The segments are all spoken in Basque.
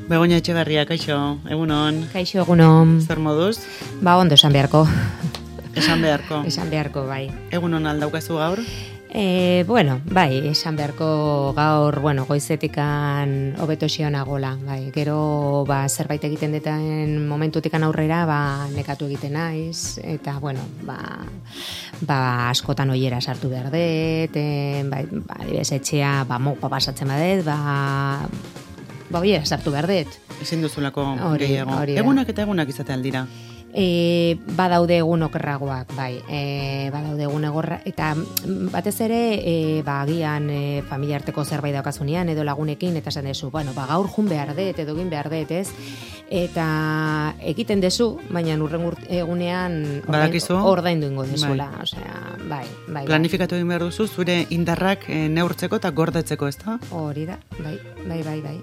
Begoña Etxeberria, kaixo, egunon. Kaixo, egunon. Zer moduz? Ondo esan beharko. Esan beharko. Esan beharko, bai. Egunon aldaukazu gaur? Bai, esan beharko gaur, goizetikan hobeto xionagola, bai. Gero, zerbait egiten deten momentutikan aurrera, nekatu egiten naiz, eta, askotan oiera sartu behar dut, etxea, mopa pasatzen badet, oiera sartu behar dut. Ezin duzulako gehiago. Hori Egunak eta egunak izate aldira? Badaude egun okerragoak, bai. Badaude egun egorra, eta batez ere, agian familia arteko zerbait daukazunean, edo lagunekin, eta esan dezu, gaur jun behar dut, edo egin behar dut, ez? Eta egiten dezu, baina urren egunean ordaindu ingo dezula. Bai. Planifikatu egin behar duzu, zure indarrak neurtzeko eta gordetzeko, ez da? Hori da, bai,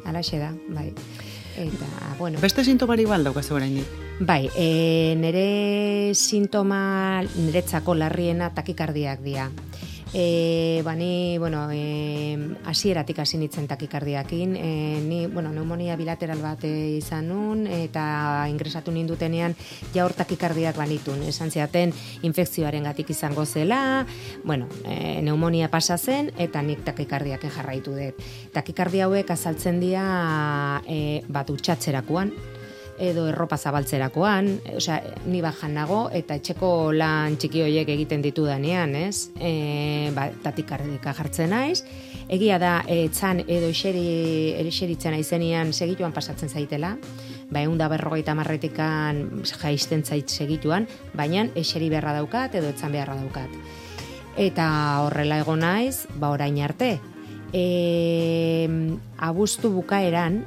alaxe da, bai. Eta, Beste sintomari daukazu oraindik? Bai, nire sintoma niretzako larriena takikardiak dira. Ni, hasieratik hasi nintzen takikardiakin, ni, pneumonia bilateral bat izan nun, eta ingresatu nindutenean jaur takikardiak banitun. Esan ziaten infekzioaren gatik izango zela, pneumonia pasa zen, eta nik takikardiaken jarraitu dut. Takikardia hauek azaltzen dira utxatzerakoan, edo erropa zabaltzerakoan, ni bajan nago, eta etxeko lan txiki horiek egiten ditudanean, ez? Tatikardika jartzen naiz. Egia da, etzan edo eseritzen aizenean segituan pasatzen zaitela, 150 marretikan jaisten zait segituan, baina eseri beharra daukat, edo etzan beharra daukat. Eta horrela egon naiz, orain arte. Abuztu bukaeran,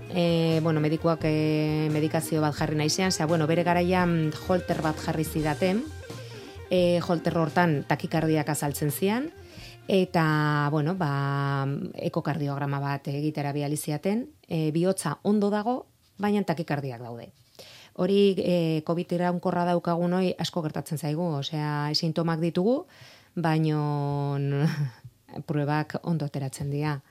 medikuak medikazio bat jarri naizean, bere garaian holter bat jarri zidaten, holter hortan takikardiak azaltzen zian, eta, ekokardiograma bat egitera bializiaten, bihotza ondo dago, baina takikardiak daude. Hori, COVID iraunkorra daukagun hori asko gertatzen zaigu, sintomak ditugu, baino pruebak ondo ateratzen dira.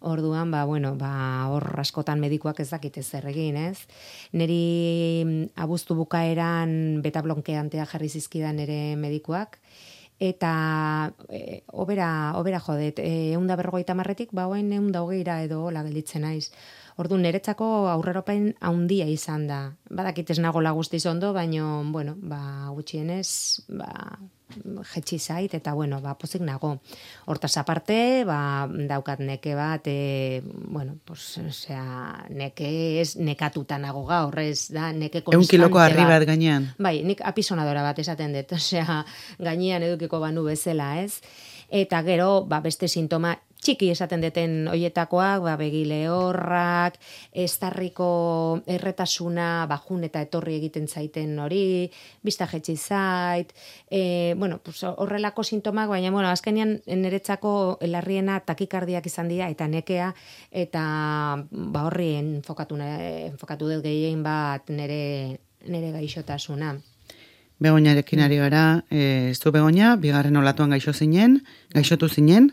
Orduan, hor askotan medikuak ez dakite zer egin, ez? Neri abuztu bukaeran beta-blonkeantea jarri zizkidan ere medikuak, eta obera jodet, 150 marretik, oain 120 edo hola gelditzen naiz. Orduan, niretzako aurreropen handia izan da. Badakit ez nagola guztiz ondo, baino, gutxienez, jetxi zait, eta, pozik nago. Hortaz aparte, daukat neke bat, neke ez nekatuta nago gaur, ez da, neke konstante. 1 kiloko harri bat gainean. Bai, nik apisonadora bat esaten dut, gainean edukiko banu bezala, ez? Eta gero, beste sintoma txiki esaten deten hoietakoak, begi lehorrak, estarriko erretasuna, jun eta etorri egiten zaiten hori, bista jetxi zait, horrelako sintomak, baina, azkenean niretzako larriena takikardiak izan dira, eta nekea, eta horri enfokatu dut gehien bat nire gaixotasuna. Begoñarekin ari gara, zu Begoña, bigarren olatuan gaixotu zinen,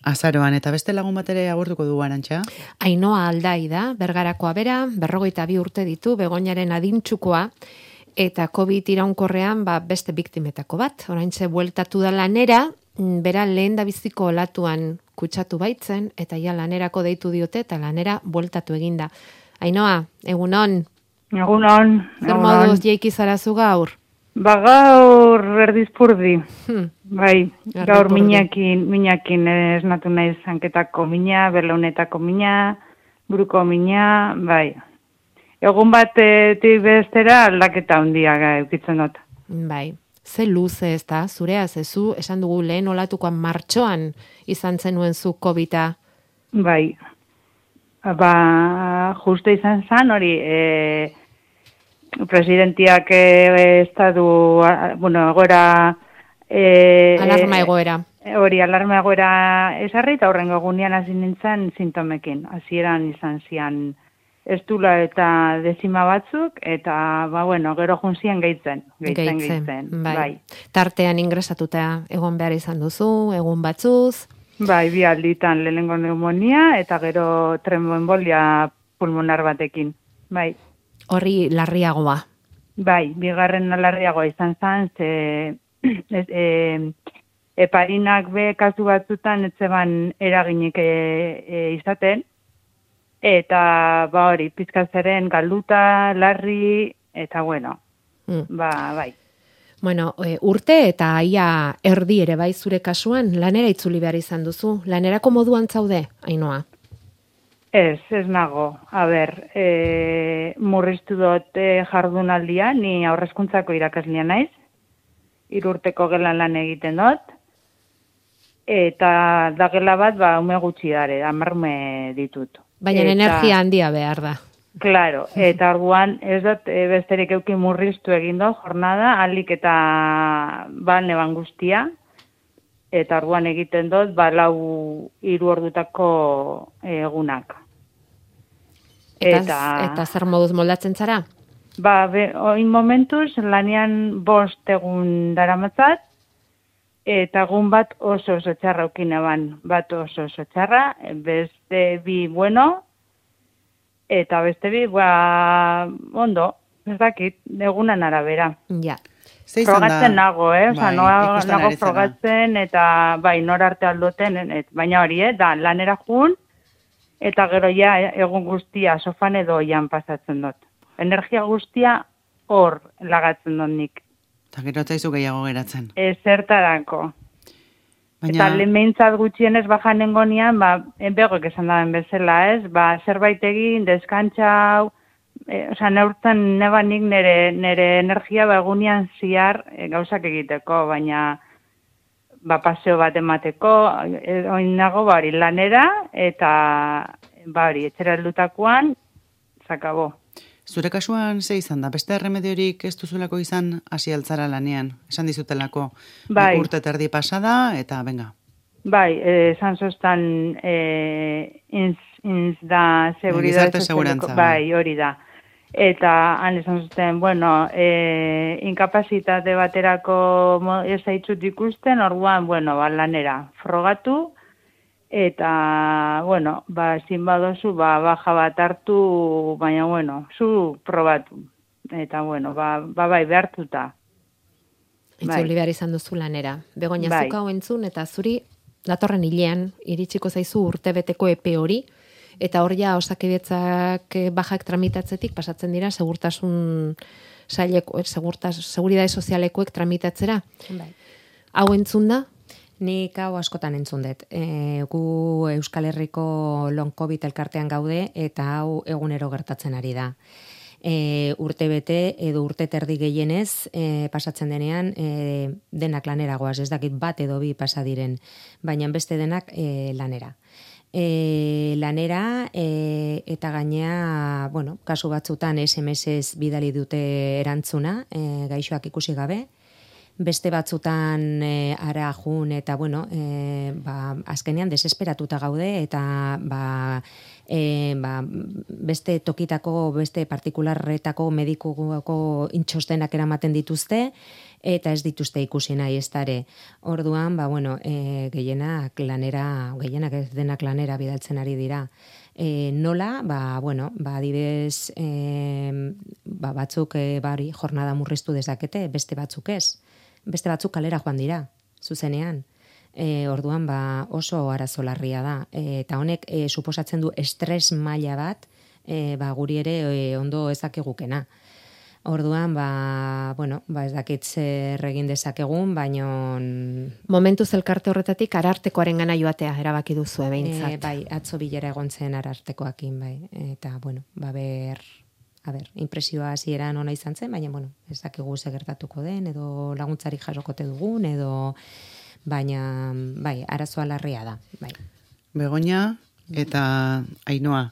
azaroan, eta beste lagun bat ere agurtuko du Arantxa? Ainhoa Aldai da, Bergarakoa bera, 42 urte ditu, Begoñaren adintxukoa, eta COVID iraunkorrean beste biktimetako bat. Oraintxe bueltatu da lanera, bera lehen da biziko olatuan kutsatu baitzen, eta ja lanerako deitu diote, eta lanera bueltatu eginda. Ainhoa, egunon? Egunon. Zer moduz jeiki zarazu gaur? Gaur erdizpurdi. Bai, gaur minakin esnatu naiz hanketako mina, berlaunetako mina, buruko mina, bai. Egun batetik bestera aldaketa handia eukitzen dut. Bai, ze luze ez da, zurea zezu, esan dugu lehen olatukoan martxoan izan zenuen zu COVID-a. Bai, justo izan zan hori, presidentiak estadu, egoera... alarma egoera. Hori, alarma egoera esarri, eta horrengo egunean hasi nintzen sintomekin. Hasieran izan zian estula eta dezima batzuk, eta, gero junzien gehitzen. Bai. Tartean ingresatuta egon behar izan duzu, egun batzuz. Bai, 2 alditan lehenengo pneumonia, eta gero tromboembolia pulmonar batekin. bai. Horri larriagoa. Bai, bigarren larriagoa izan zen, heparinak be kasu batzutan etzeban eraginik izaten, eta hori, pizkazeren galduta, larri, eta bueno, bai. Bueno, urte eta ia erdi ere bai zure kasuan, lanera itzuli behar izan duzu. Lanerako moduan zaude, Ainhoa? Ez nago. Murriztu dut jardunaldia, ni aurrezkuntzako irakaslia naiz, 3 urteko gelan lan egiten dut, eta da gela bat, ume gutxi dare, 10 ume ditut. Baina energia handia behar da. Claro, eta orduan ez dut besterik euki murriztu egin dut jornada, alik eta neban guztia, eta orduan egiten dut 3 ordutako egunak. Eta zer moduz moldatzen zara? Oin momentuz, lanian 5 egun daramatzat, eta egun bat oso txarra ukineban, bat oso txarra, beste 2 bueno, eta beste 2, ondo, ez dakit, egunan arabera. Ja. Frogatzen nago, nago frogatzen, eta nor arte aldoten, baina hori, da lanera jun, eta gero ja egun guztia sofan edo oian pasatzen dut. Energia guztia hor lagatzen dut nik. Eta gero zaizu gehiago geratzen. Zertarako. Eta lehentzat gutxienez bajan nengonean, begoek esan daben bezala, ez? Zerbait egin, deskantxau, neurtzen nebanik nire energia egunean ziar gauzak egiteko, baina paseo bat emateko, oin nago hori lanera, eta hori etxera heldutakoan, zakabo. Zure kasuan ze izan da? Beste remediorik ez duzulako izan hasi altzara lanean? Esan dizutelako urte terdi pasada, eta venga. Bai, esan zoztan inz da Gizarte segurantza. Bai, hori da. Eta han esan zuten, inkapazitate baterako ez haitzut ikusten, orduan, lanera frogatu, eta, zin badozu, baja bat hartu, baina, zu probatu. Eta, bai, behartuta. Itzuli behar izan duzu lanera. Begoña, zuka hau entzun, eta zuri, datorren hilean, iritsiko zaizu urtebeteko epe hori, eta hor ja osakidetzak bajak tramitatzetik pasatzen dira segurtasun saileko, seguridade sozialekoek tramitatzera. Bai. Hau entzun da? Nik hau askotan entzun dut. Gu Euskal Herriko long COVID elkartean gaude eta hau egunero gertatzen ari da. Urte bete edo urte terdi gehienez pasatzen denean denak lanera goaz, ez dakit bat edo 2 pasa diren, baina beste denak lanera. Lanera eta gainea, kasu batzutan SMS-ez bidali dute erantzuna, gaixoak ikusi gabe, beste batzutan ara jun eta azkenean desesperatuta gaude eta beste tokitako, beste partikularretako medikuko intxostenak eramaten dituzte eta ez dituzte ikusi nahi ez dare. Orduan, gehienak ez denak lanera bidaltzen ari dira. Nola, adibidez, batzuk jornada murriztu dezakete, beste batzuk ez. Beste batzuk kalera joan dira, zuzenean. Orduan, oso arazo larria da. Eta honek suposatzen du estres maila bat, guri ere ondo ezakegukena. Orduan, ez dakit zer egin dezakegun, baina... Momentuz elkarte horretatik arartekoaren gana joatea erabaki duzu behintzat. Bai, atzo bilera egon zen arartekoakin, bai. Eta, impresioa hasieran ona izan zen, baina, ez dakigu ze gertatuko den, edo laguntzarik jasokote dugun, edo... Baina, arazoa larria da, bai. Begoña eta Ainhoa.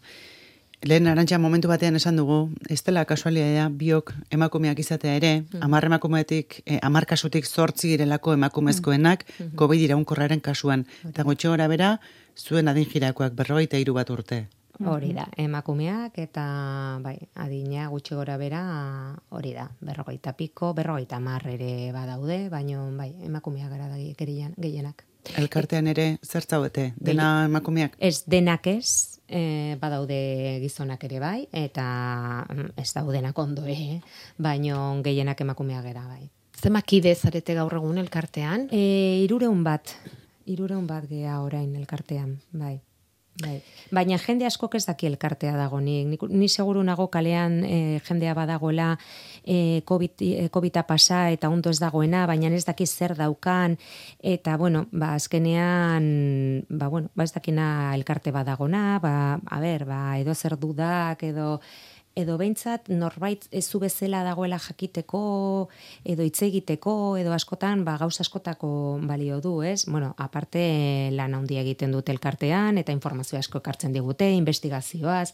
Lehen Arantxa momentu batean esan dugu, ez dela kasualitatea biok emakumeak izatea ere, 10 emakumeetik, 10 kasutik 8 girelako emakumezkoenak COVID iraunkorraren kasuan. Eta gutxi gora bera, zuen adin jirakoak 43 bat urte. Hori da, emakumeak eta adina gutxi gora bera hori da, 40 piko, 50 ere badaude, baina emakumeak gara da gehienak. Elkartean ere zertzaudete, dena emakumeak? Ez, denak ez, badaude gizonak ere bai, eta ez daudenak ondo, baino gehienak emakumeak gera bai. Zenbat kide zarete gaur egun elkartean? 300 bat gea orain elkartean, bai. Baina jende askok ez daki elkartea dago, ni seguru nago kalean jendea badagoela COVID-a pasa eta ondo ez dagoena, baina ez daki zer daukan, eta bueno, azkenean, ez dakina elkarte badagona, edo zer dudak, edo behintzat norbait ezu bezala dagoela jakiteko, edo hitz egiteko, edo askotan gauza askotako balio du, ez? Bueno, aparte lan handia egiten dute elkartean, eta informazio asko ekartzen digute, investigazioaz,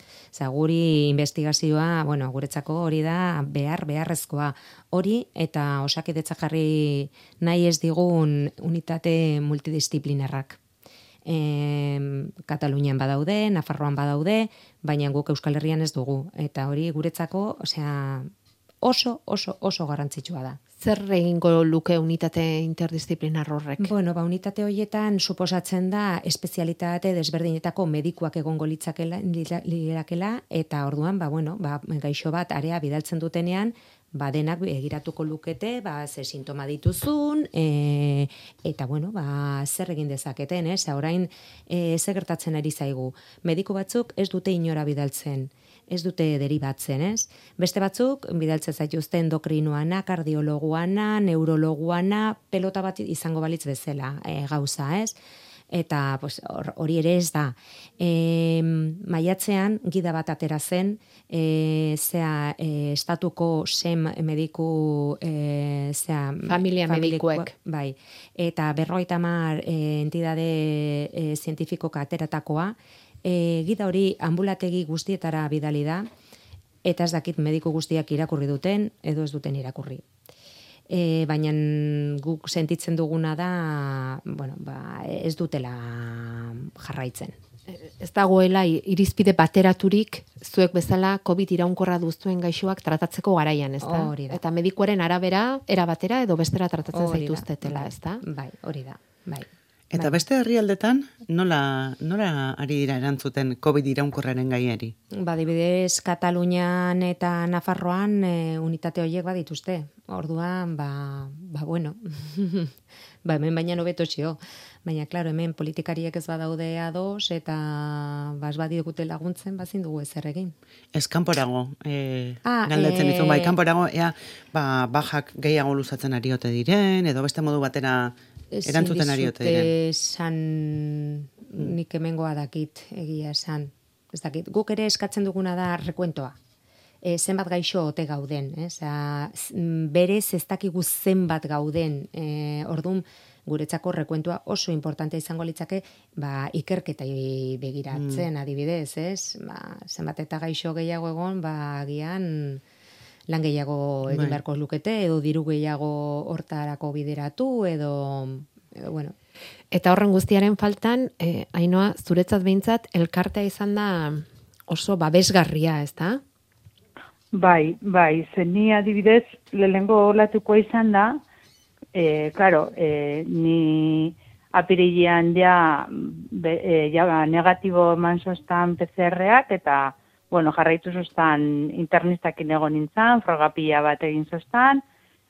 guri investigazioa, guretzako hori da beharrezkoa hori, eta osakidetza jarri nahi ez digun unitate multidisciplinarrak. Katalunian badaude, Nafarroan badaude, baina guk Euskal Herrian ez dugu. Eta hori guretzako, oso garrantzitsua da. Zer egingo luke unitate interdisziplinar horrek? Unitate horietan suposatzen da espezialitate desberdinetako medikuak egongo lirakela, eta orduan, gaixo bat area bidaltzen dutenean, denak egiratuko lukete, ze sintoma dituzun, eta zer egin dezaketen, orain zer gertatzen ari zaigu. Mediku batzuk ez dute inora bidaltzen, ez dute deribatzen, ez? Beste batzuk bidaltzen zaituzte endokrinoana, kardiologuana, neurologuana, pelota bat izango balitz bezala gauza, ez? Eta hori ere ez da. Maiatzean gida bat atera zen, estatuko SEM mediku, familia medikuek. Bai, eta 50 entidade zientifikoka ateratakoa, gida hori ambulategi guztietara bidali da, eta ez dakit mediku guztiak irakurri duten, edo ez duten irakurri. Baina guk sentitzen duguna da, ez dutela jarraitzen. Ez dagoela irizpide bateraturik zuek bezala COVID iraunkorra duztuen gaixoak tratatzeko garaian, ez da? Hori da. Eta medikuaren arabera, erabatera edo bestera tratatzen zaituztetela, ez da? Bai, hori da, bai. Eta beste herrialdetan, nola ari dira erantzuten COVID iraunkorraren gaiari? Adibidez, Katalunian eta Nafarroan unitate horiek badituzte. Orduan, bueno, hemen baina nobeto txio. Baina, klaro, hemen politikariek ez badaude ados, eta ez badigute laguntzen, bazin dugu ezer egin. Ez kanporago, galdetzen dizu, kanporago, bajak gehiago luzatzen ariote diren, edo beste modu batera erantzuten ariote diren. Esan nik hemengoa dakit, egia esan. Ez dakit, guk ere eskatzen duguna da rekuentoa. Zenbat gaixo ote gauden, berez ez dakigu zenbat gauden, orduan guretzako rekuentua oso importante izango litzake, ikerketai begiratzen adibidez, zenbat eta gaixo gehiago egon, agian lan gehiago egin beharko lukete, edo diru gehiago hortarako bideratu, edo bueno. Eta horren guztiaren faltan, Ainhoa, zuretzat behintzat, elkartea izan da oso babesgarria, ez da? Bai, zeni adibidez, lehengo olatuko izan da, ni apirilean negatibo eman zoztan PCR-ak, eta, jarraitu zoztan internistakin egon nintzen, frogapila bat egin zoztan,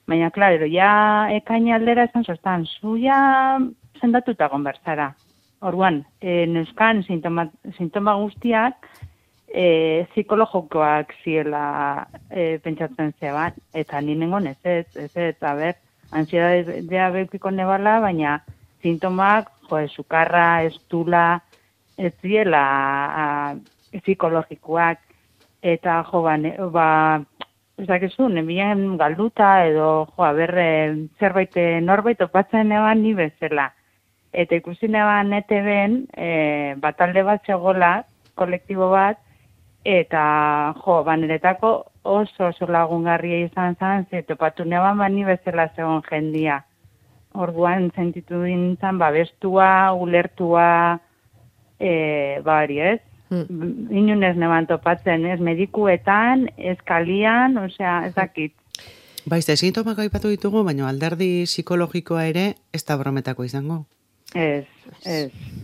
baina, ekaini aldera esan zoztan, zuia sendatuta gonbertzara. Orduan, neuzkan sintoma guztiak, psikologokoak ziela pentsatzen zeban, eta ninengon ez, ansiedadea bekiko nebala, baina sintomak, sukarra, estula, ez ziela psikologikoak, eta ez dakizu, nebien galduta, edo zerbait norbait opatzen eban ni bezala. Eta ikusi neban ETV-en, batalde bat zegoela, kolektibo bat, eta niretako oso lagungarria izan zen, topatu neban ni bezala zegoen jendia. Orduan sentitu dintzen, bestua, ulertua, hori ez. Inunez neban topatzen, ez medikuetan, ez kalian, ez dakit. Sintomak aipatu ditugu, baina alderdi psikologikoa ere ez da brometako izango. Ez,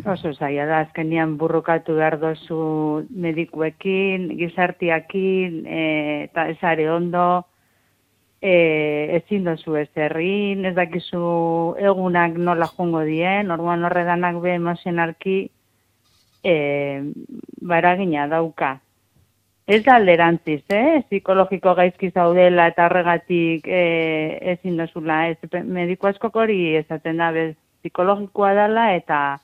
oso zaila da, azkenian burrukatu behar dozu medikuekin, gizartiakin, eta ezare ondo, ezin dozu ez errin, ez dakizu egunak nola jongo dien, orduan horredanak be emozionalki baragina dauka. Ez da alderantziz, psikologiko gaizki zaudela eta horregatik ezin dozula, ez mediku askok hori esaten da, bez, psikologikoa dela eta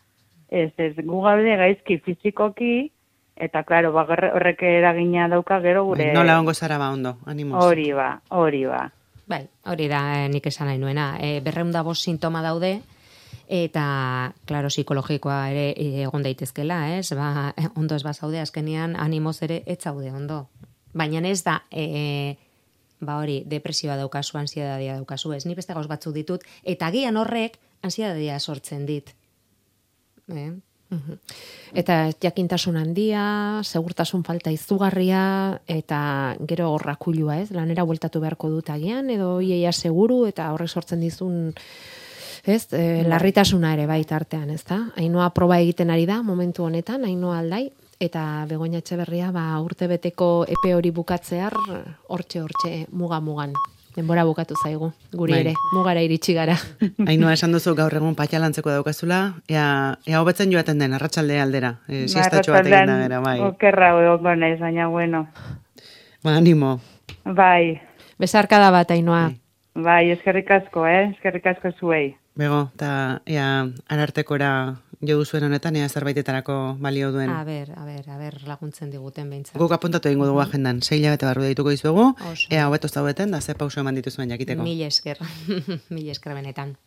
ez gu gaude gaizki fizikoki eta claro, horrek eragina dauka gero gure Nola ongo zara ba ondo, animoz. Hori ba. Bai, hori da nik esan nahi nuena. 205 sintoma daude eta claro, psikologikoa ere egon daitezkela, ez? Ba, ondo ez bazaude azkenean animoz ere ez zaude ondo. Baina ez da ba hori, depresioa daukazu, ansiedadea daukazu, ez? Ni beste gauz batzuk ditut eta agian horrek ansiedadea sortzen dit. Eta jakintasun handia, segurtasun falta izugarria, eta gero horrakulua, ez? Lanera bueltatu beharko dut agian, edo iaia seguru, eta horrek sortzen dizun, ez? Larritasuna ere baita artean, ez da? Ainhoa proba egiten ari da, momentu honetan, Ainhoa Aldai, eta Begoña Etxeberria, urtebeteko epe hori bukatzear, hortxe, muga-mugan. Denbora bukatu zaigu, guri ere, mugara iritsi gara. Ainhoa, esan duzu gaur egun patxalantzeko daukazula, ea hobetzen joaten den, arratsalde aldera. Siestatxo bat egin da gara, bai. Okerra egongo naiz, baina bueno. Ba, animo. Bai. Besarkada bat, Ainhoa. Bai, eskerrik asko, eskerrik asko zuei. Bego, eta ea arartekora jo duzuen honetan, ea zerbaitetarako balio duen. A ber, laguntzen diguten behintzat. Guk apuntatu egingo dugu agendan, 6 hilabete barru deituko dizuegu, ea hobeto zaudeten, da ze pauso eman dituzuen jakiteko. Mil esker benetan.